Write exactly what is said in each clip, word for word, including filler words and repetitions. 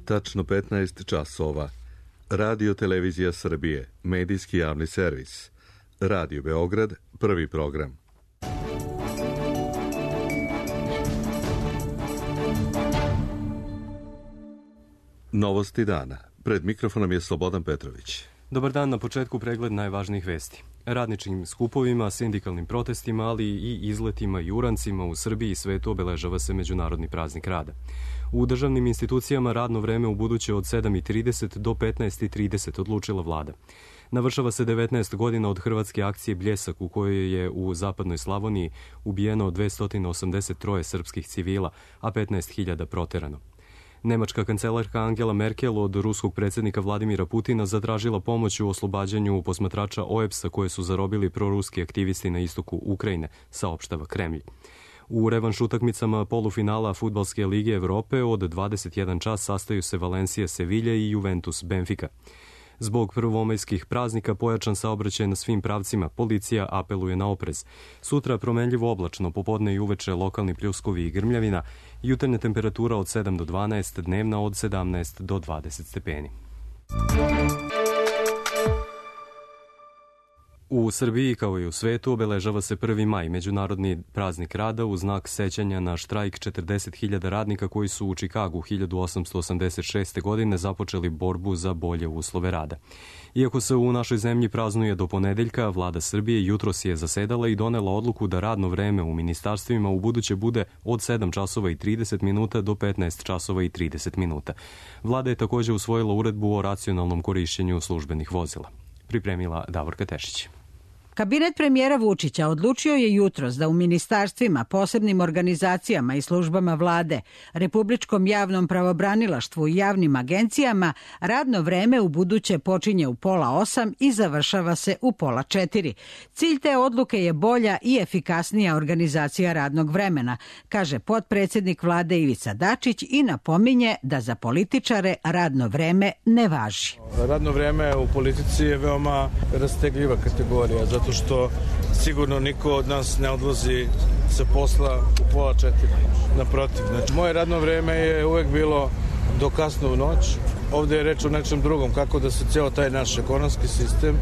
tačno petnaest časova. Radio Televizija Srbije, medijski javni servis. Radio Beograd, prvi program. Novosti dana. Pred mikrofonom je Slobodan Petrović. Dobar dan, na početku pregled najvažnijih vesti. Radničkim skupovima, sindikalnim protestima, ali i izletima i urancima u Srbiji i svetu obeležava se Međunarodni praznik rada. U državnim institucijama radno vreme u buduće od sedam i trideset do petnaest i trideset odlučila vlada. Navršava se devetnaest godina od hrvatske akcije Bljesak, u kojoj je u zapadnoj Slavoniji ubijeno dvesta osamdeset tri srpskih civila, a petnaest hiljada proterano. Nemačka kancelarka Angela Merkel od ruskog predsjednika Vladimira Putina zatražila pomoć u oslobađanju posmatrača O E B S-a koje su zarobili proruski aktivisti na istoku Ukrajine, saopštava Kremlj. U revanš utakmicama polufinala Fudbalske lige Evrope od dvadeset jedan čas sastaju se Valencija Sevilja i Juventus Benfica. Zbog prvomajskih praznika pojačan saobraćaj na svim pravcima, policija apeluje na oprez. Sutra promenljivo oblačno, popodne i uveče lokalni pljuskovi i grmljavina, jutarnja temperatura od sedam do dvanaest, dnevna od sedamnaest do dvadeset stepeni. U Srbiji, kao i u svetu, obeležava se prvi maj, Međunarodni praznik rada, u znak sećanja na štrajk četrdeset hiljada radnika koji su u Čikagu hiljadu osamsto osamdeset šeste. godine započeli borbu za bolje uslove rada. Iako se u našoj zemlji praznuje do ponedeljka, vlada Srbije jutros je zasedala i donela odluku da radno vreme u ministarstvima u buduće bude od sedam časova i trideset minuta do petnaest časova i trideset minuta. Vlada je također usvojila uredbu o racionalnom korišćenju službenih vozila. Pripremila Davorka Tešić. Kabinet premijera Vučića odlučio je jutros da u ministarstvima, posebnim organizacijama i službama vlade, Republičkom javnom pravobranilaštvu i javnim agencijama radno vreme u buduće počinje u pola osam i završava se u pola četiri. Cilj te odluke je bolja i efikasnija organizacija radnog vremena, kaže potpredsjednik vlade Ivica Dačić i napominje da za političare radno vreme ne važi. Radno vreme u politici je veoma rastegljiva kategorija, zato što sigurno niko od nas ne odlazi sa posla u pola četiri. Naprotiv, znači, moje radno vreme je uvek bilo do kasno u noć. Ovde je reč o nečem drugom, kako da se cijelo taj naš ekonomski sistem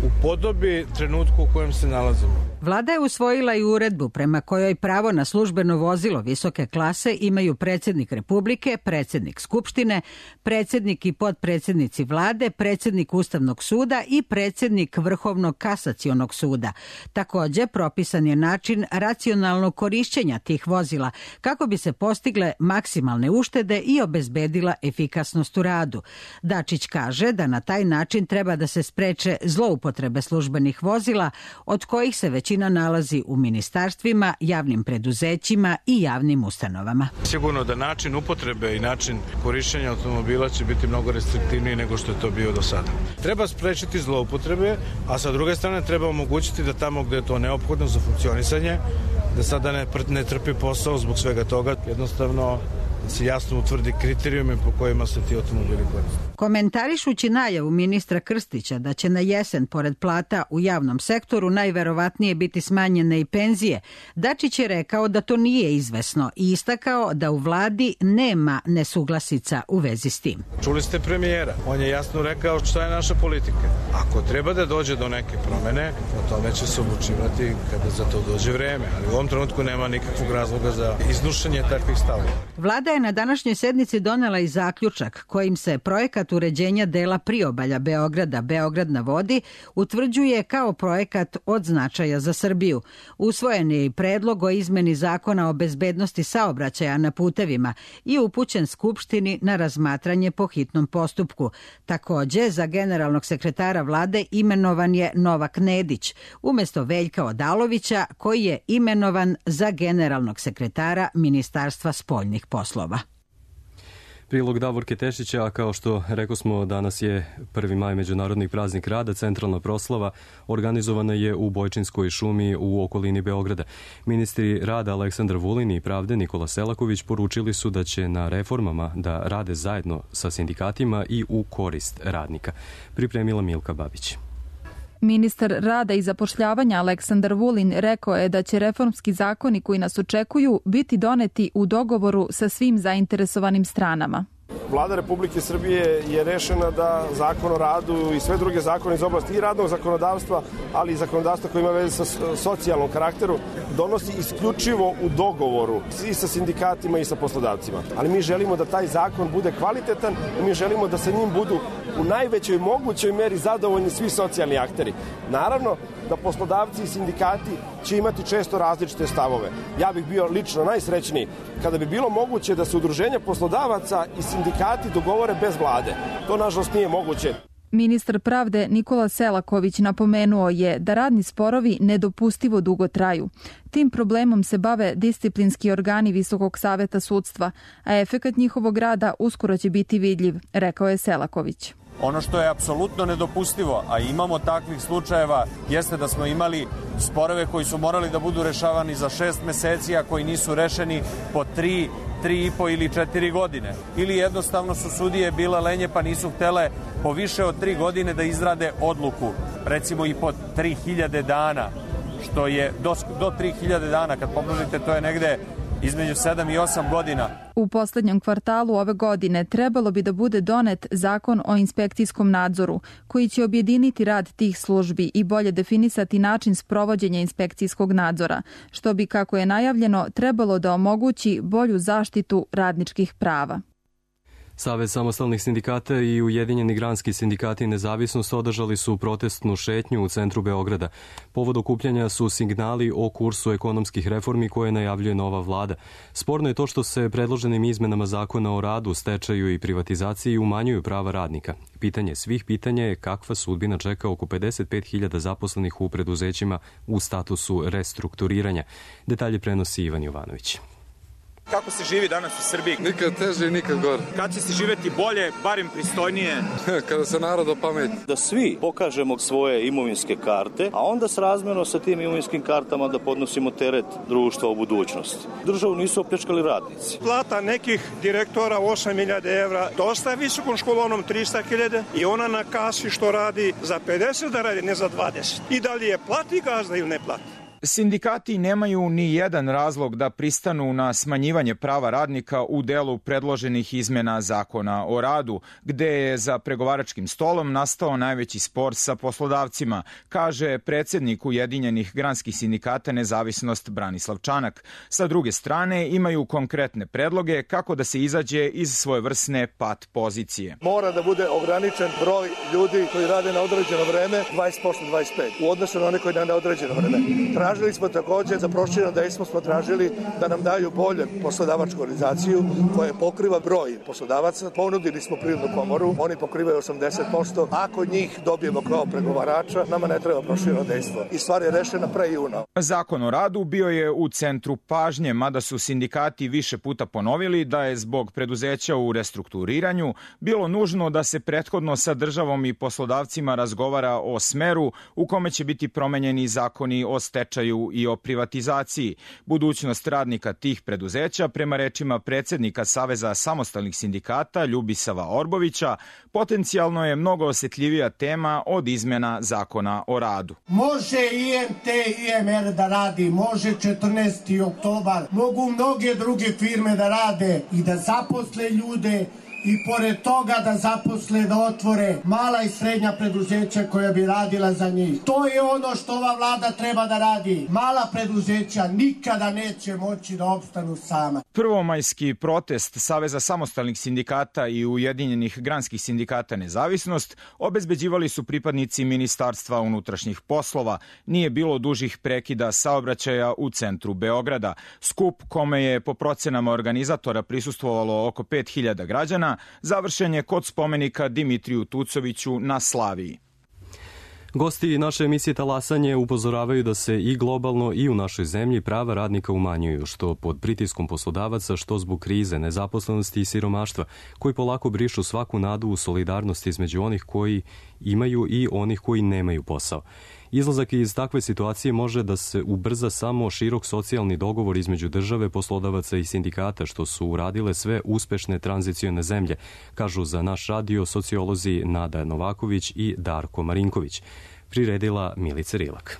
upodobi trenutku u kojem se nalazimo. Vlada je usvojila i uredbu prema kojoj pravo na službeno vozilo visoke klase imaju predsjednik Republike, predsjednik Skupštine, predsjednik i potpredsjednici vlade, predsjednik Ustavnog suda i predsjednik Vrhovnog kasacionog suda. Također, propisan je način racionalnog korišćenja tih vozila kako bi se postigle maksimalne uštede i obezbedila efikasnost u radu. Dačić kaže da na taj način treba da se spreče zloupotrebe službenih vozila, od kojih se većina nalazi u ministarstvima, javnim preduzećima i javnim ustanovama. Sigurno da način upotrebe i način korišćenja automobila će biti mnogo restriktivniji nego što je to bio do sada. Treba sprečiti zloupotrebe, a sa druge strane treba omogućiti da tamo gde je to neophodno za funkcionisanje, da sada ne, ne trpi posao zbog svega toga, jednostavno se jasno utvrdi kriterijume po kojima se ti automobili koriste. Komentarišući najavu ministra Krstića da će na jesen pored plata u javnom sektoru najverovatnije biti smanjene i penzije, Dačić je rekao da to nije izvesno i istakao da u vladi nema nesuglasica u vezi s tim. Čuli ste premijera, on je jasno rekao šta je naša politika. Ako treba da dođe do neke promene, o tome će se odlučivati kada za to dođe vreme, ali u ovom trenutku nema nikakvog razloga za iznošenje takvih stavova. Vlada je na današnjoj sednici donela i zaključak kojim se projekat uređenja dela priobalja Beograda Beograd na vodi utvrđuje kao projekat od značaja za Srbiju. Usvojen je i predlog o izmeni zakona o bezbednosti saobraćaja na putevima i upućen Skupštini na razmatranje po hitnom postupku. Također, za generalnog sekretara vlade imenovan je Novak Nedić, umjesto Veljka Odalovića, koji je imenovan za generalnog sekretara Ministarstva spoljnih poslova. Prilog Davorke Tešića, a kao što rekao smo, danas je prvi maj, Međunarodni praznik rada. Centralna proslava organizovana je u Bojčinskoj šumi u okolini Beograda. Ministri rada Aleksandar Vulin i pravde Nikola Selaković poručili su da će na reformama da rade zajedno sa sindikatima i u korist radnika. Pripremila Milka Babić. Ministar rada i zapošljavanja Aleksandar Vulin rekao je da će reformski zakoni koji nas očekuju biti doneti u dogovoru sa svim zainteresovanim stranama. Vlada Republike Srbije je rešena da zakon o radu i sve druge zakone iz oblasti i radnog zakonodavstva, ali i zakonodavstva koje ima veze sa socijalnom karakteru, donosi isključivo u dogovoru i sa sindikatima i sa poslodavcima. Ali mi želimo da taj zakon bude kvalitetan i mi želimo da sa njim budu u najvećoj mogućoj meri zadovoljni svi socijalni akteri. Naravno da poslodavci i sindikati će imati često različite stavove. Ja bih bio lično najsrećniji kada bi bilo moguće da se udruženja poslodavaca i sindikati dogovore bez vlade. To nažalost nije moguće. Ministar pravde Nikola Selaković napomenuo je da radni sporovi nedopustivo dugo traju. Tim problemom se bave disciplinski organi Visokog saveta sudstva, a efekat njihovog rada uskoro će biti vidljiv, rekao je Selaković. Ono što je apsolutno nedopustivo, a imamo takvih slučajeva, jeste da smo imali sporove koji su morali da budu rešavani za šest meseci, a koji nisu rešeni po tri, tri i po ili četiri godine. Ili jednostavno su sudije bile lenje pa nisu htele po više od tri godine da izrade odluku, recimo i po tri hiljade dana, što je do, do tri hiljade dana, kad pomnožite, to je negde između sedam i osam godina. U poslednjem kvartalu ove godine trebalo bi da bude donet zakon o inspekcijskom nadzoru, koji će objediniti rad tih službi i bolje definisati način sprovođenja inspekcijskog nadzora, što bi, kako je najavljeno, trebalo da omogući bolju zaštitu radničkih prava. Savez samostalnih sindikata i Ujedinjeni granski sindikati Nezavisnost održali su protestnu šetnju u centru Beograda. Povod okupljanja su signali o kursu ekonomskih reformi koje najavljuje nova vlada. Sporno je to što se predloženim izmenama zakona o radu, stečaju i privatizaciji umanjuju prava radnika. Pitanje svih pitanja je kakva sudbina čeka oko pedeset pet hiljada zaposlenih u preduzećima u statusu restrukturiranja. Detalje prenosi Ivan Jovanović. Kako se živi danas u Srbiji? Nikad teže i nikad gore. Kad će se živeti bolje, barem pristojnije? Kada se narod opameti. Da svi pokažemo svoje imovinske karte, a onda srazmerno sa tim imovinskim kartama da podnosimo teret društva u budućnosti. Državu nisu opljačkali radnici. Plata nekih direktora osam hiljada evra, dosta visokom školonom trista hiljada i ona na kasi što radi za pedeset da radi, ne za dvadeset. I da li je plati gazda ili ne plati? Sindikati nemaju ni jedan razlog da pristanu na smanjivanje prava radnika u delu predloženih izmena zakona o radu, gde je za pregovaračkim stolom nastao najveći spor sa poslodavcima, kaže predsednik Ujedinjenih granskih sindikata Nezavisnost Branislav Čanak. Sa druge strane, imaju konkretne predloge kako da se izađe iz svojevrsne pat pozicije. Mora da bude ograničen broj ljudi koji rade na određeno vreme, dvadeset posto dvadeset pet, u odnosu na one koji na neodređeno vreme. Tražili smo takođe, za prošireno dejstvo smo tražili da nam daju bolje poslodavačku organizaciju koja pokriva broj poslodavaca. Ponudili smo Privrednu komoru, oni pokrivaju osamdeset posto. Ako njih dobijemo kao pregovarača, nama ne treba prošireno dejstvo. I stvar je rešena pre juna. Zakon o radu bio je u centru pažnje, mada su sindikati više puta ponovili da je zbog preduzeća u restrukturiranju bilo nužno da se prethodno sa državom i poslodavcima razgovara o smeru u kome će biti promenjeni zakoni o stečaju i o privatizaciji. Budućnost radnika tih preduzeća, prema rečima predsednika Saveza samostalnih sindikata Ljubisava Orbovića, potencijalno je mnogo osetljivija tema od izmena zakona o radu. Može I M T i I M R da radi, može četrnaesti oktobar, mogu mnoge druge firme da rade i da zaposle ljude i pored toga da zaposle, da otvore mala i srednja preduzeća koja bi radila za njih. To je ono što ova vlada treba da radi. Mala preduzeća nikada neće moći da opstanu sama. Prvomajski protest Saveza samostalnih sindikata i Ujedinjenih granskih sindikata Nezavisnost obezbeđivali su pripadnici Ministarstva unutrašnjih poslova. Nije bilo dužih prekida saobraćaja u centru Beograda. Skup kome je po procenama organizatora prisustvovalo oko pet hiljada građana završen je kod spomenika Dimitriju Tucoviću na Slaviji. Gosti naše emisije Talasanje upozoravaju da se i globalno i u našoj zemlji prava radnika umanjuju, što pod pritiskom poslodavaca, što zbog krize, nezaposlenosti i siromaštva, koji polako brišu svaku nadu u solidarnosti između onih koji imaju i onih koji nemaju posao. Izlazak iz takve situacije može da se ubrza samo širok socijalni dogovor između države, poslodavaca i sindikata, što su uradile sve uspešne tranzicione zemlje, kažu za naš radio sociolozi Nada Novaković i Darko Marinković. Priredila Milica Rilak.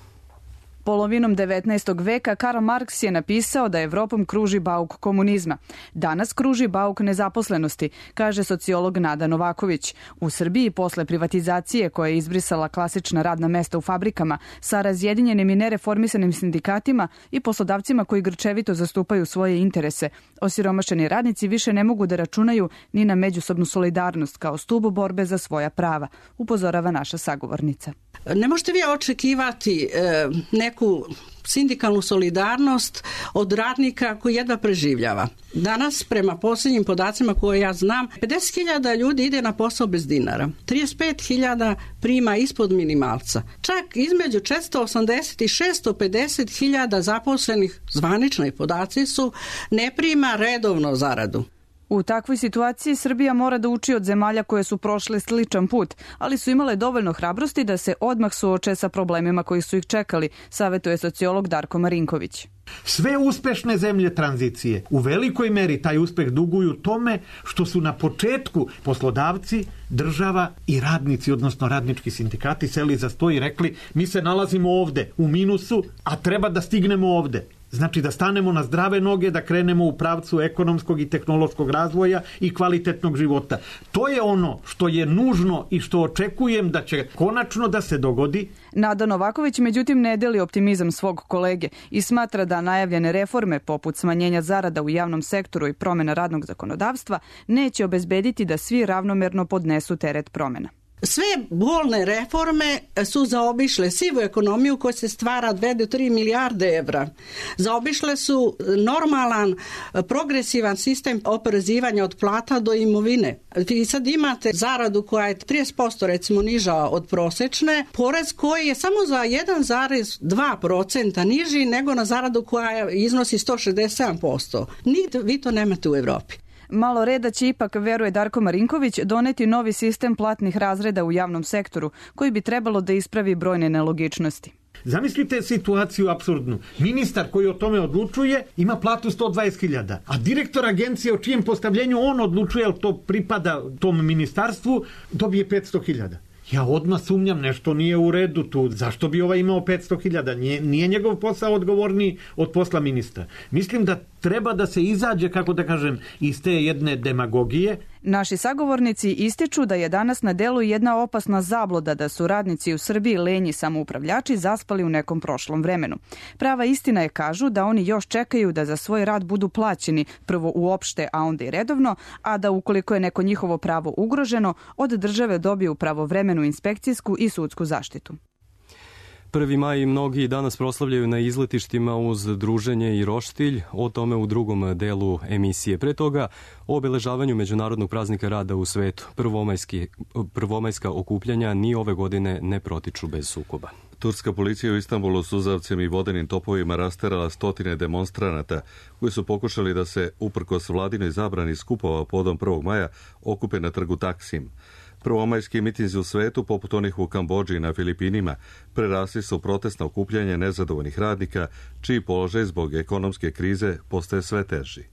Polovinom devetnaestog veka Karl Marks je napisao da Evropom kruži bauk komunizma. Danas kruži bauk nezaposlenosti, kaže sociolog Nada Novaković. U Srbiji posle privatizacije koja je izbrisala klasična radna mesta u fabrikama sa razjedinjenim i nereformisanim sindikatima i poslodavcima koji grčevito zastupaju svoje interese, osiromašeni radnici više ne mogu da računaju ni na međusobnu solidarnost kao stubu borbe za svoja prava, upozorava naša sagovornica. Ne možete vi očekivati e, neku sindikalnu solidarnost od radnika koji jedva preživljava. Danas, prema posljednjim podacima koje ja znam, pedeset hiljada ljudi ide na posao bez dinara. trideset pet hiljada prima ispod minimalca. Čak između četiristo osamdeset i šesto pedeset hiljada zaposlenih, zvanični podaci su, ne prima redovno zaradu. U takvoj situaciji Srbija mora da uči od zemalja koje su prošle sličan put, ali su imale dovoljno hrabrosti da se odmah suoče sa problemima koji su ih čekali, savjetuje sociolog Darko Marinković. Sve uspešne zemlje tranzicije u velikoj meri taj uspeh duguju tome što su na početku poslodavci, država i radnici, odnosno radnički sindikati, seli za sto i rekli mi se nalazimo ovde u minusu, a treba da stignemo ovde. Znači da stanemo na zdrave noge, da krenemo u pravcu ekonomskog i tehnološkog razvoja i kvalitetnog života. To je ono što je nužno i što očekujem da će konačno da se dogodi. Nada Novaković međutim ne deli optimizam svog kolege i smatra da najavljene reforme poput smanjenja zarada u javnom sektoru i promjena radnog zakonodavstva neće obezbediti da svi ravnomerno podnesu teret promjena. Sve bolne reforme su zaobišle sivu ekonomiju koja se stvara dve do tri milijarde evra. Zaobišle su normalan, progresivan sistem oporezivanja od plata do imovine. Vi sad imate zaradu koja je trideset posto recimo niža od prosečne, porez koji je samo za jedan zarez dva procenta niži nego na zaradu koja iznosi sto šezdeset sedam posto. Nigde vi to nemate u Evropi. Malo reda će ipak, veruje Darko Marinković, doneti novi sistem platnih razreda u javnom sektoru, koji bi trebalo da ispravi brojne nelogičnosti. Zamislite situaciju apsurdnu. Ministar koji o tome odlučuje ima platu sto dvadeset hiljada, a direktor agencije o čijem postavljenju on odlučuje, ali to pripada tom ministarstvu, dobije petsto hiljada. Ja odmah sumnjam, nešto nije u redu tu. Zašto bi ovaj imao petsto hiljada? Nije, nije njegov posao odgovorniji od posla ministra. Mislim da treba da se izađe, kako da kažem, iz te jedne demagogije. Naši sagovornici ističu da je danas na delu jedna opasna zabluda da su radnici u Srbiji lenji samoupravljači zaspali u nekom prošlom vremenu. Prava istina je, kažu, da oni još čekaju da za svoj rad budu plaćeni, prvo uopšte, a onda i redovno, a da ukoliko je neko njihovo pravo ugroženo, od države dobiju pravovremenu inspekcijsku i sudsku zaštitu. prvi maj mnogi danas proslavljaju na izletištima uz druženje i roštilj, o tome u drugom delu emisije. Pre toga o obeležavanju Međunarodnog praznika rada u svetu. Prvomajski, prvomajska okupljanja ni ove godine ne protiču bez sukoba. Turska policija u Istanbulu suzavcem i vodenim topovima rasterala stotine demonstranata koji su pokušali da se, uprkos vladinoj zabrani skupova podom prvog maja, okupe na trgu Taksim. Prvomajski mitinzi u svetu, poput onih u Kambodži i na Filipinima, prerasli su protestna okupljanja nezadovoljnih radnika, čiji položaj zbog ekonomske krize postaje sve teži.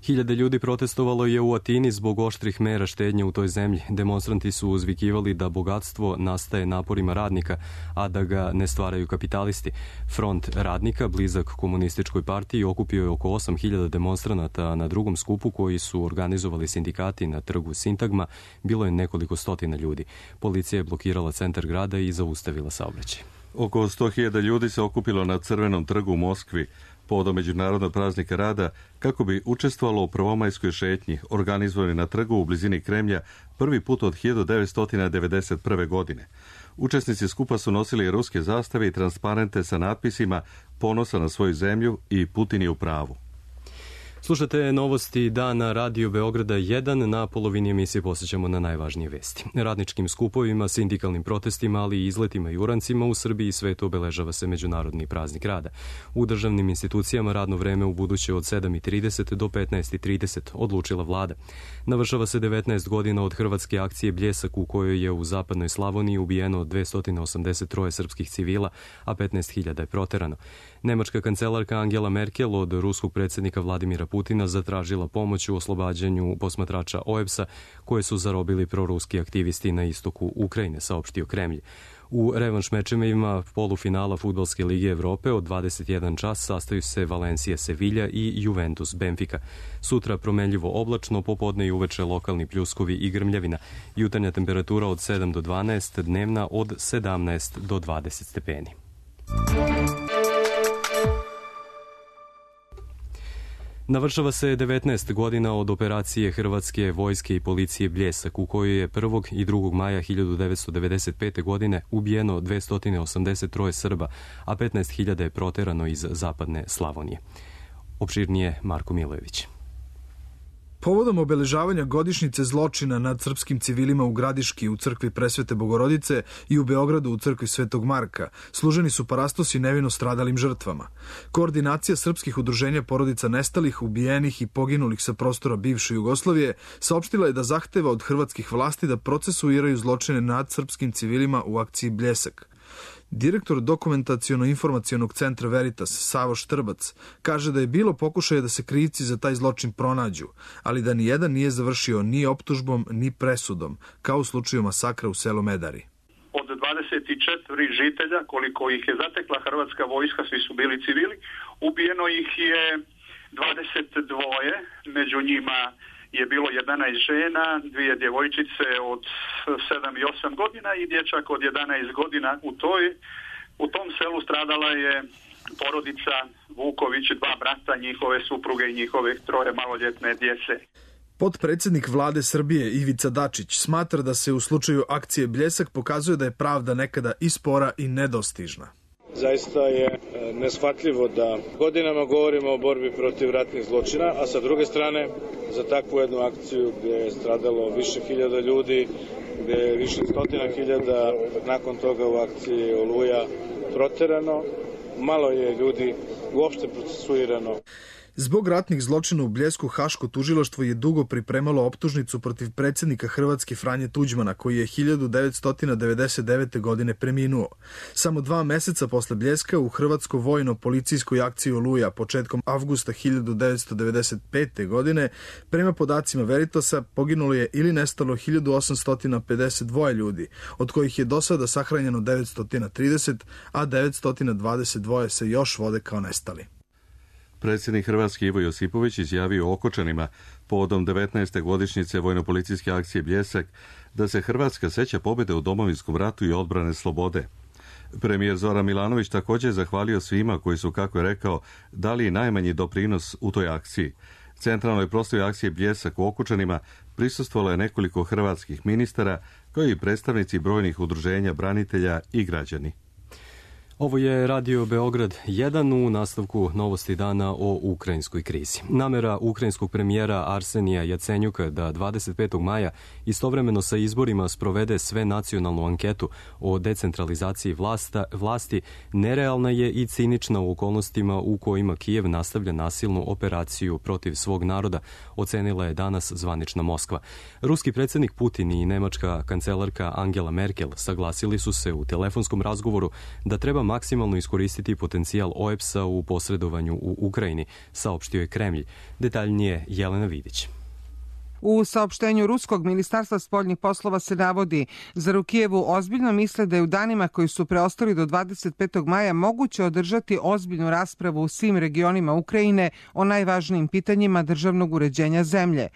Hiljade ljudi protestovalo je u Atini zbog oštrih mera štednje u toj zemlji. Demonstranti su uzvikivali da bogatstvo nastaje naporima radnika, a da ga ne stvaraju kapitalisti. Front radnika, blizak komunističkoj partiji, okupio je oko osam hiljada demonstranata na drugom skupu koji su organizovali sindikati na trgu Sintagma. Bilo je nekoliko stotina ljudi. Policija je blokirala centar grada i zaustavila saobraćaj. Oko sto hiljada ljudi se okupilo na Crvenom trgu u Moskvi povodom Međunarodnog praznika rada kako bi učestvovalo u prvomajskoj šetnji organizovani na trgu u blizini Kremlja prvi put od hiljadu devetsto devedeset prve. godine. Učesnici skupa su nosili ruske zastave i transparente sa natpisima "Ponosa na svoju zemlju" i "Putin je u pravu". Slušate novosti dana Radio Beograda jedan. Na polovini emisije posjećamo na najvažnije vesti. Radničkim skupovima, sindikalnim protestima, ali i izletima i urancima u Srbiji i svetu obeležava se Međunarodni praznik rada. U državnim institucijama radno vreme u buduće od sedam i trideset do petnaest i trideset odlučila vlada. Navršava se devetnaest godina od hrvatske akcije Bljesak u kojoj je u zapadnoj Slavoniji ubijeno dvesta osamdeset tri srpskih civila, a petnaest hiljada je proterano. Nemačka kancelarka Angela Merkel od ruskog predsjednika Vladimira Putina Putina zatražila pomoć u oslobađanju posmatrača O E B S-a koje su zarobili proruski aktivisti na istoku Ukrajine, saopštio Kremlj. U revanš mečevima polufinala Fudbalske lige Evrope od dvadeset jedan čas sastaju se Valencija Sevilja i Juventus Benfica. Sutra promenljivo oblačno, popodne i uveče lokalni pljuskovi i grmljavina. Jutarnja temperatura od sedam do dvanaest, dnevna od sedamnaest do dvadeset stepeni. Navršava se devetnaest godina od operacije Hrvatske vojske i policije Bljesak, u kojoj je prvog i drugog maja hiljadu devetsto devedeset pete. godine ubijeno dvesta osamdeset tri Srba, a petnaest hiljada je proterano iz zapadne Slavonije. Opširnije Marko Milojević. Povodom obeležavanja godišnjice zločina nad srpskim civilima u Gradiški u crkvi Presvete Bogorodice i u Beogradu u crkvi Svetog Marka služeni su parastosi nevino stradalim žrtvama. Koordinacija srpskih udruženja porodica nestalih, ubijenih i poginulih sa prostora bivše Jugoslavije saopštila je da zahteva od hrvatskih vlasti da procesuiraju zločine nad srpskim civilima u akciji Bljesak. Direktor dokumentaciono-informacionog centra Veritas, Savo Štrbac, kaže da je bilo pokušaja da se krivci za taj zločin pronađu, ali da nijedan nije završio ni optužbom, ni presudom, kao u slučaju masakra u selu Medari. Od dvadeset četiri žitelja, koliko ih je zatekla hrvatska vojska, svi su bili civili, ubijeno ih je dvadeset dva, među njima je bilo jedanaest žena, dvije djevojčice od sedam i osam godina i dječak od jedanaest godina. U toj, u tom selu stradala je porodica Vuković, dva brata, njihove supruge i njihove troje maloljetne djece. Potpredsjednik vlade Srbije Ivica Dačić smatra da se u slučaju akcije Bljesak pokazuje da je pravda nekada i spora i nedostižna. Zaista je neshvatljivo da godinama govorimo o borbi protiv ratnih zločina, a sa druge strane za takvu jednu akciju gdje je stradalo više hiljada ljudi, gdje je više stotina hiljada nakon toga u akciji Oluja proterano, malo je ljudi uopšte procesuirano. Zbog ratnih zločina u Bljesku Haško tužilaštvo je dugo pripremalo optužnicu protiv predsjednika Hrvatske Franje Tuđmana, koji je hiljadu devetsto devedeset devete. godine preminuo. Samo dva meseca posle Bljeska u Hrvatsko vojno-policijskoj akciji Oluja početkom avgusta hiljadu devetsto devedeset pete. godine prema podacima Veritasa poginulo je ili nestalo hiljadu osamsto pedeset dva ljudi, od kojih je do sada sahranjeno devetsto trideset, a devetsto dvadeset dva se još vode kao nestali. Predsjednik Hrvatske Ivo Josipović izjavio Okočanima povodom devetnaeste godišnjice vojno-policijske akcije Bljesak da se Hrvatska seća pobjede u Domovinskom ratu i odbrane slobode. Premijer Zoran Milanović također zahvalio svima koji su, kako je rekao, dali najmanji doprinos u toj akciji. Centralnoj proslavi akcije Bljesak u Okučanima prisustvovalo je nekoliko hrvatskih ministara, kao i predstavnici brojnih udruženja branitelja i građani. Ovo je Radio Beograd jedan u nastavku novosti dana o ukrajinskoj krizi. Namera ukrajinskog premijera Arsenija Jacenjuka da dvadeset petog maja istovremeno sa izborima sprovede sve nacionalnu anketu o decentralizaciji vlasta, vlasti nerealna je i cinična u okolnostima u kojima Kijev nastavlja nasilnu operaciju protiv svog naroda, ocenila je danas zvanična Moskva. Ruski predsjednik Putin i nemačka kancelarka Angela Merkel saglasili su se u telefonskom razgovoru da treba maksimalno iskoristiti potencijal O E B S-a u posredovanju u Ukrajini, saopštio je Kremlj. Detaljnije Jelena Vidić. U saopštenju Ruskog ministarstva spoljnih poslova se navodi, zar u Kijevu ozbiljno misle da je u danima koji su preostali do dvadeset petog maja moguće održati ozbiljnu raspravu u svim regionima Ukrajine o najvažnijim pitanjima državnog uređenja zemlje.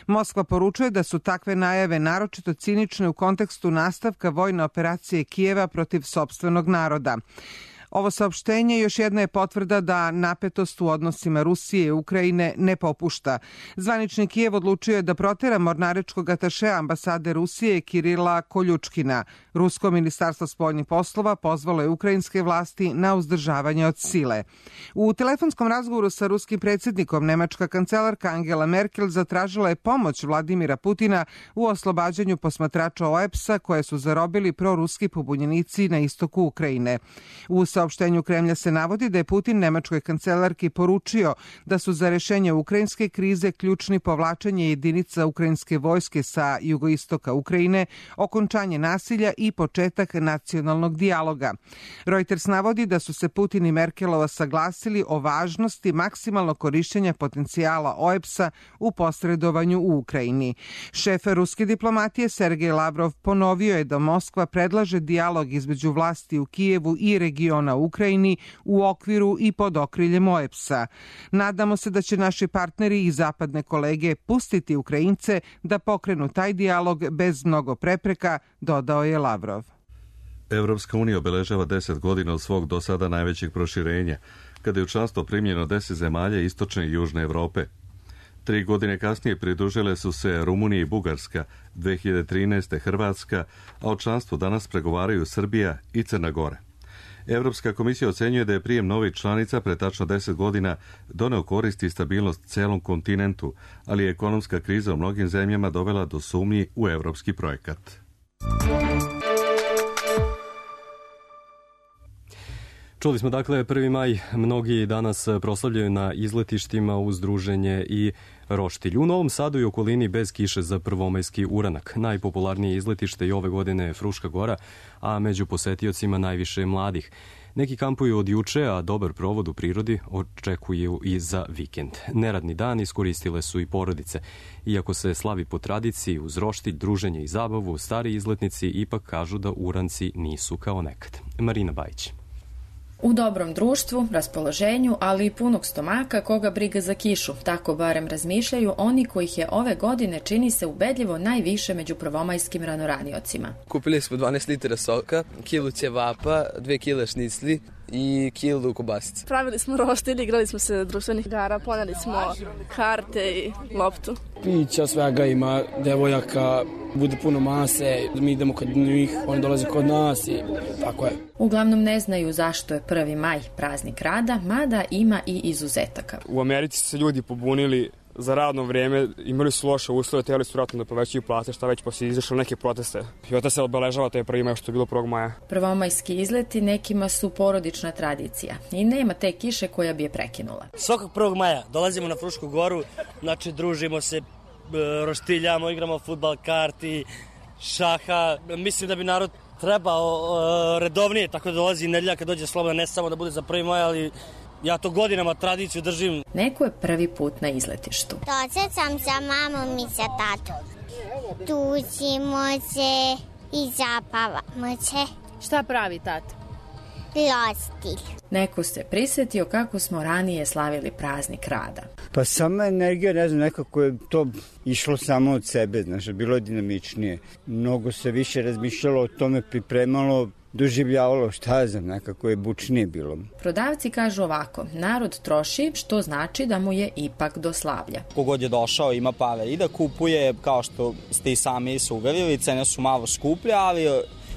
Moskva poručuje da su takve najave naročito cinične u kontekstu nastavka vojne operacije Kijeva protiv sopstvenog naroda. Ovo saopštenje još jedna je potvrda da napetost u odnosima Rusije i Ukrajine ne popušta. Zvanični Kijev odlučio je da protera mornaričkog atašea ambasade Rusije Kirila Koljučkina. Rusko ministarstvo spoljnih poslova pozvalo je ukrajinske vlasti na uzdržavanje od sile. U telefonskom razgovoru sa ruskim predsjednikom nemačka kancelarka Angela Merkel zatražila je pomoć Vladimira Putina u oslobađanju posmatrača O E B S-a koje su zarobili proruski pobunjenici na istoku Ukrajine. U saopštenju Kremlja se navodi da je Putin nemačkoj kancelarki poručio da su za rešenje ukrajinske krize ključni povlačenje jedinica ukrajinske vojske sa jugoistoka Ukrajine, okončanje nasilja i početak nacionalnog dijaloga. Reuters navodi da su se Putin i Merkelova saglasili o važnosti maksimalnog korišćenja potencijala O E B S-a u posredovanju u Ukrajini. Šef ruske diplomatije Sergej Lavrov ponovio je da Moskva predlaže dijalog između vlasti u Kijevu i regiona u Ukrajini u okviru i pod okriljem O E B S-a. Nadamo se da će naši partneri i zapadne kolege pustiti Ukrajince da pokrenu taj dijalog bez mnogo prepreka, dodao je Lavrov. Evropska unija obeležava deset godina od svog do sada najvećeg proširenja, kada je u članstvo primljeno deset zemalja istočne i južne Evrope. Tri godine kasnije pridružile su se Rumunija i Bugarska, dve hiljade trinaeste. Hrvatska, a o članstvu danas pregovaraju Srbija i Crna Gora. Evropska komisija ocenjuje da je prijem novih članica pre tačno deset godina doneo korist i stabilnost celom kontinentu, ali je ekonomska kriza u mnogim zemljama dovela do sumnji u evropski projekat. Čuli smo dakle prvi maj, mnogi danas proslavljaju na izletištima uz druženje i roštilj. U Novom Sadu i okolini bez kiše za prvomajski uranak. Najpopularnije izletište i ove godine je Fruška Gora, a među posetiocima najviše mladih. Neki kampuju od juče, a dobar provod u prirodi očekuju i za vikend. Neradni dan iskoristile su i porodice. Iako se slavi po tradiciji uz roštilj, druženje i zabavu, stari izletnici ipak kažu da uranci nisu kao nekad. Marina Bajić. U dobrom društvu, raspoloženju, ali i punog stomaka koga briga za kišu, tako barem razmišljaju oni kojih je ove godine čini se ubedljivo najviše među prvomajskim ranoriocima. Kupili smo dvanaest litara soka, kilu ćevapa, dve kile šnicli i kilu kobasice. Pravili smo roštilj, igrali smo se društvenih igara, poneli smo karte i loptu. Pića, svega ima, devojaka, bude puno mase, mi idemo kod njih, oni dolaze kod nas i tako je. Uglavnom ne znaju zašto je prvi maj praznik rada, mada ima i izuzetaka. U Americi su se ljudi pobunili za radno vreme, imali su loše uslove, tijeli su vratno da povećaju plate, šta već poslije izašlo neke proteste. I od se obeležava taj prvi maj što je bilo prvog maja. Prvomajski izleti nekima su porodična tradicija i nema te kiše koja bi je prekinula. Svakog prvog maja dolazimo na Frušku Goru, znači družimo se, roštiljamo, igramo fudbal, karti, šaha. Mislim da bi narod trebao redovnije, tako da dolazi nedelja kad dođe slobodna, ne samo da bude za prvi maj, ali ja to godinama tradiciju držim. Neko je prvi put na izletištu. Dođe sam sa mamom i sa tatom. Tužimo se i zapavamo se. Šta pravi tata? Rostilj. Neko se prisjetio kako smo ranije slavili praznik rada. Pa sama energija, ne znam, nekako je to išlo samo od sebe, znaš, bilo je dinamičnije. Mnogo se više razmišljalo o tome, pripremalo, doživljavalo, šta je znam, nekako je bučnije bilo. Prodavci kažu ovako, narod troši, što znači da mu je ipak do slavlja. Kogod je došao ima pare i da kupuje, kao što ste i sami se uverili, cene su malo skuplje, ali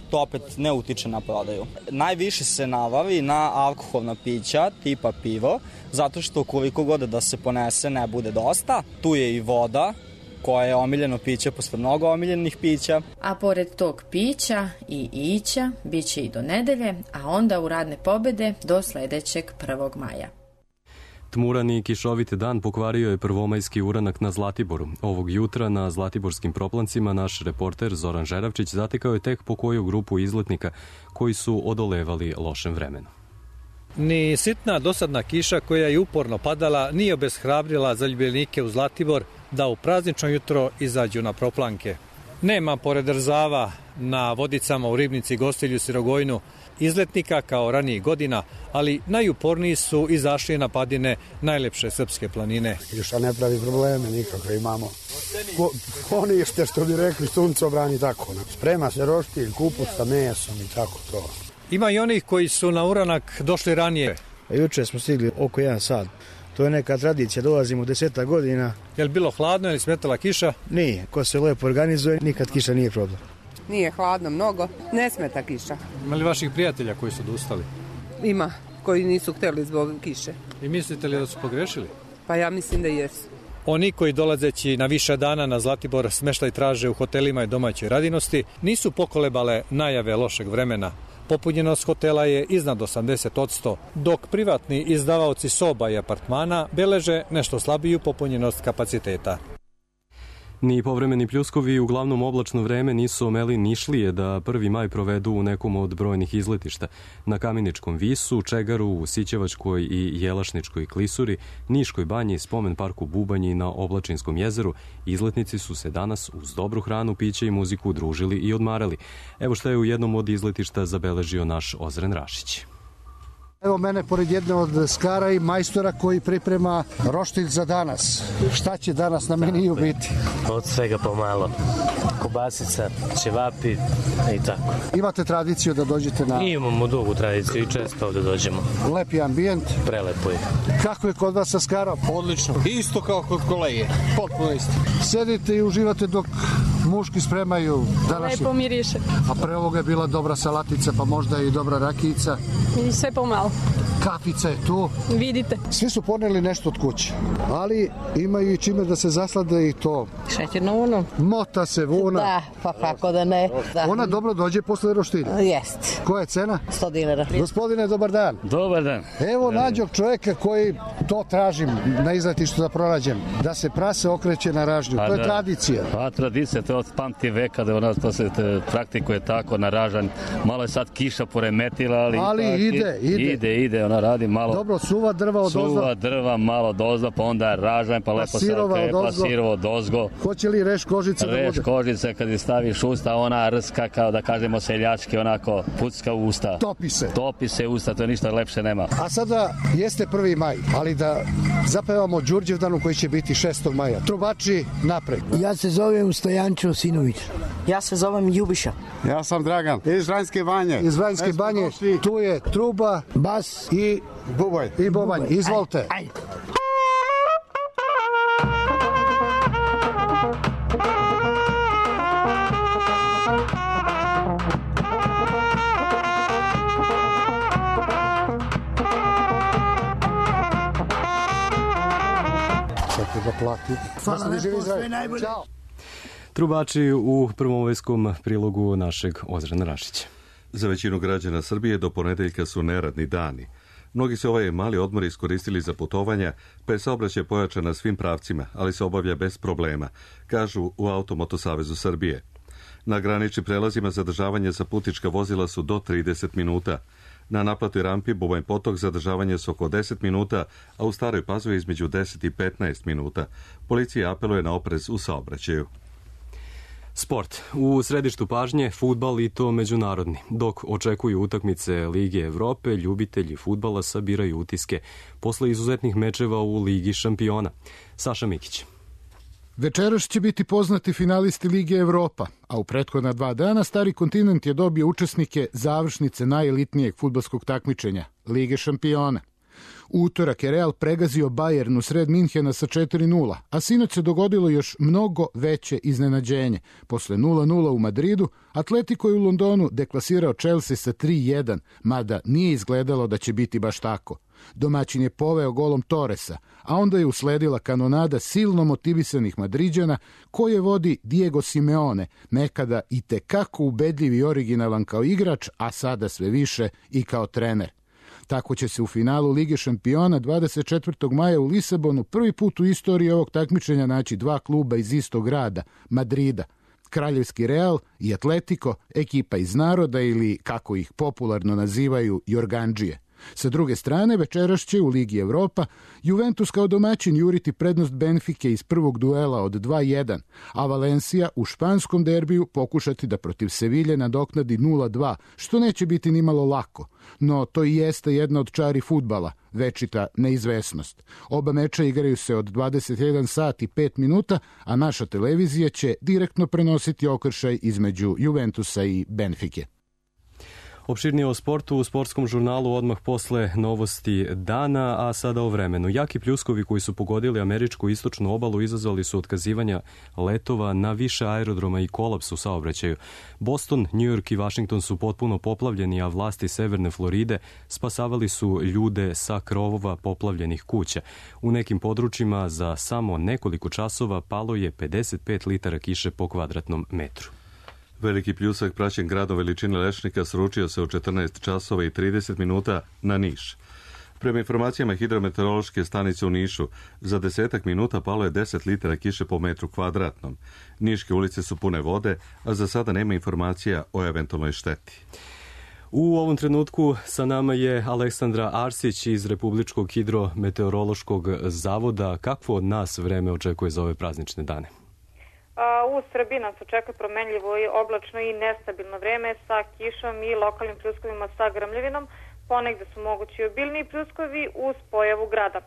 to opet ne utiče na prodaju. Najviše se navavi na alkoholna pića, tipa pivo, zato što koliko god da se ponese ne bude dosta. Tu je i voda, koja je omiljeno piće posle mnogo omiljenih pića. A pored tog pića i ića, bit će i do nedelje, a onda u radne pobede do sledećeg prvog maja. Tmuran i kišovit dan pokvario je prvomajski uranak na Zlatiboru. Ovog jutra na Zlatiborskim proplancima naš reporter Zoran Žeravčić zatekao je tek po koju grupu izletnika koji su odolevali lošem vremenu. Ni sitna dosadna kiša koja je uporno padala nije obeshrabrila zaljubljenike u Zlatibor da u praznično jutro izađu na proplanke. Nema pored Rzava na Vodicama u Ribnici, Gostilju, Sirogojnu izletnika kao ranijih godina, ali najuporniji su izašli na padine najlepše srpske planine. Kiša ne pravi probleme nikakve imamo. Ponište što bi rekli suncobrani tako. Sprema se roštilj, kupus sa mesom i tako to. Ima i onih koji su na uranak došli ranije. Juče smo stigli oko jedan sat. To je neka tradicija, dolazimo u deseta godina. Je li bilo hladno ili smetala kiša? Nije, ko se lepo organizuje, nikad kiša nije problem. Nije hladno mnogo, ne smeta kiša. Ima li vaših prijatelja koji su odustali? Ima, koji nisu hteli zbog kiše. I mislite li da su pogrešili? Pa ja mislim da jesu. Oni koji dolazeći na više dana na Zlatibor smeštaj traže u hotelima i domaćoj radinosti nisu pokolebale najave lošeg vremena. Popunjenost hotela je iznad osamdeset posto, dok privatni izdavaoci soba i apartmana beleže nešto slabiju popunjenost kapaciteta. Ni povremeni pljuskovi uglavnom oblačno vreme nisu omeli Nišlije da prvi maj provedu u nekom od brojnih izletišta. Na Kameničkom visu, Čegaru, u Sićevačkoj i Jelašničkoj klisuri, Niškoj banji, spomen parku Bubanji na Oblačinskom jezeru, izletnici su se danas uz dobru hranu, piće i muziku družili i odmarali. Evo šta je u jednom od izletišta zabeležio naš Ozren Rašić. Evo mene pored jedne od skara i majstora koji priprema roštilj za danas. Šta će danas na meniju biti? Od svega pomalo. Kobasica, ćevapi i tako. Imate tradiciju da dođete na... Imamo dugu tradiciju i često ovde dođemo. Lepi ambijent. Prelepo je. Kako je kod vas sa skarom? Odlično. Isto kao kod kolege. Potpuno isto. Sedite i uživate dok muški spremaju današnji... Lepo miriše. A pre ovoga je bila dobra salatica, pa možda i dobra rakijica. I sve pomalo. Kafica je tu. Vidite. Svi su poneli nešto od kuće, ali imaju i čime da se zaslade i to. Šećerno vuno. Mota se vuna. Da, pa kako da ne. Da. Ona dobro dođe posle roštilja. Jest. Koja je cena? sto dinara. Gospodine, dobar dan. Dobar dan. Evo nađog čovjeka koji to tražim na izletištu da pronađem. Da se prase okreće na ražnju. Pa to je da. tradicija. Pa tradicija, to je od pamti veka da ona to se praktikuje tako na ražanj. Malo je sad kiša poremetila, ali... Ali pa, ide, ide. Ide, ide, ona radi malo... Dobro, suva drva od ozda. Suva drva, malo dozda, pa onda ražanj, pa, pa lepo se okrepa, sirovo dozgo. Hoće li reš kožice da bude? Reš kožice, kad je staviš usta, ona rska, kao da kažemo seljački, onako pucka u usta. Topi se. Topi se usta, to je ništa lepše nema. A sada jeste prvi maj, ali da zapevamo Đurđevdanu koji će biti šestog maja. Trubači napred. Ja se zovem Stojančo Sinović. Ja se zovem Ljubiša. Ja sam Dragan, iz Vranjske banje. Iz Vranjske banje, tu je truba, bas i bubanj. I bubanj, izvolite. Aj, aj. Čekaj da plati. Hvala lepo, sve najbolje. Ćao. Trubači u prvomovejskom prilogu našeg Ozrena Rašića. Za većinu građana Srbije do ponedeljka su neradni dani. Mnogi se ovaj mali odmor iskoristili za putovanja, pa je saobraćaj pojačan na svim pravcima, ali se obavlja bez problema, kažu u Automoto Savezu Srbije. Na graničnim prelazima zadržavanje za putnička vozila su do trideset minuta. Na naplatoj rampi Bubanj Potok zadržavanje su oko deset minuta, a u Staroj Pazovi između deset i petnaest minuta. Policija apeluje na oprez u saobraćaju. Sport. U središtu pažnje fudbal i to međunarodni. Dok očekuju utakmice Lige Evrope, ljubitelji fudbala sabiraju utiske posle izuzetnih mečeva u Ligi šampiona. Saša Mikić. Večeras će biti poznati finalisti Lige Evropa, a u prethodna dva dana Stari kontinent je dobio učesnike završnice najelitnijeg fudbalskog takmičenja, Lige šampiona. U utorak je Real pregazio Bayern u sred Minhena sa četiri nula, a sinoć se dogodilo još mnogo veće iznenađenje. Posle nula nula u Madridu, Atletico je u Londonu deklasirao Chelsea sa tri jedan, mada nije izgledalo da će biti baš tako. Domaćin je poveo golom Torresa, a onda je usledila kanonada silno motivisanih Madriđana koje vodi Diego Simeone, nekada i tekako ubedljiv i originalan kao igrač, a sada sve više i kao trener. Tako će se u finalu Lige šampiona dvadeset četvrtog maja u Lisabonu prvi put u istoriji ovog takmičenja naći dva kluba iz istog grada, Madrida. Kraljevski Real i Atletico, ekipa iz naroda ili, kako ih popularno nazivaju, Jorgandžije. Sa druge strane, večeras će u Ligi Evropa Juventus kao domaćin juriti prednost Benfike iz prvog duela od dva jedan, a Valencia u španskom derbiju pokušati da protiv Sevilje nadoknadi nula dva, što neće biti nimalo lako. No to i jeste jedna od čari fudbala, večita neizvesnost. Oba meča igraju se od dvadeset jedan sat i pet minuta, a naša televizija će direktno prenositi okršaj između Juventusa i Benfike. Opširnije o sportu u sportskom žurnalu odmah posle novosti dana, a sada o vremenu. Jaki pljuskovi koji su pogodili američku istočnu obalu izazvali su otkazivanja letova na više aerodroma i kolaps u saobraćaju. Boston, New York i Washington su potpuno poplavljeni, a vlasti severne Floride spasavali su ljude sa krovova poplavljenih kuća. U nekim područjima za samo nekoliko časova palo je pedeset pet litara kiše po kvadratnom metru. Veliki pljusak praćen gradom veličine lešnika sručio se u četrnaest časova i trideset minuta na Niš. Prema informacijama hidrometeorološke stanice u Nišu, za desetak minuta palo je deset litara kiše po metru kvadratnom. Niške ulice su pune vode, a za sada nema informacija o eventualnoj šteti. U ovom trenutku sa nama je Aleksandra Arsić iz Republičkog hidrometeorološkog zavoda. Kakvo od nas vreme očekuje za ove praznične dane? U Srbiji nas očekuje promenljivo i oblačno i nestabilno vreme sa kišom i lokalnim pljuskovima sa grmljavinom. Ponegde su mogući obilniji pljuskovi uz pojavu grada.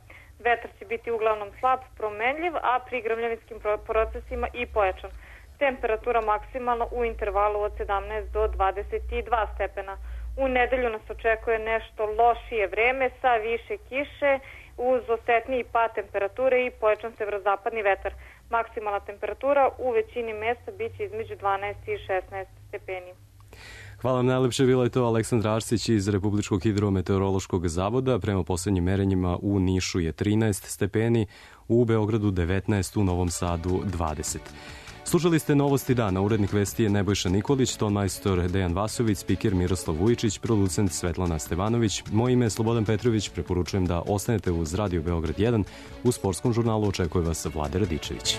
Vetar će biti uglavnom slab, promenljiv, a pri grmljavinskim procesima i pojačan. Temperatura maksimalno u intervalu od sedamnaest do dvadeset dva stepena. U nedelju nas očekuje nešto lošije vreme sa više kiše uz osetniji pad temperature i pojačan severozapadni vetar. Maksimalna temperatura u većini mesta biće između dvanaest i šesnaest stepeni. Hvala vam najlepše, bila je to Aleksandra Arsić iz Republičkog hidrometeorološkog zavoda. Prema poslednjim merenjima u Nišu je trinaest stepeni, u Beogradu devetnaest, u Novom Sadu dvadeset. Slušali ste Novosti dana, urednik vesti je Nebojša Nikolić, tonmajstor Dejan Vasović, spiker Miroslav Vujičić, producent Svetlana Stevanović. Moje ime je Slobodan Petrović, preporučujem da ostanete uz Radio Beograd jedan. U sportskom žurnalu očekuje vas Vlade Radičević.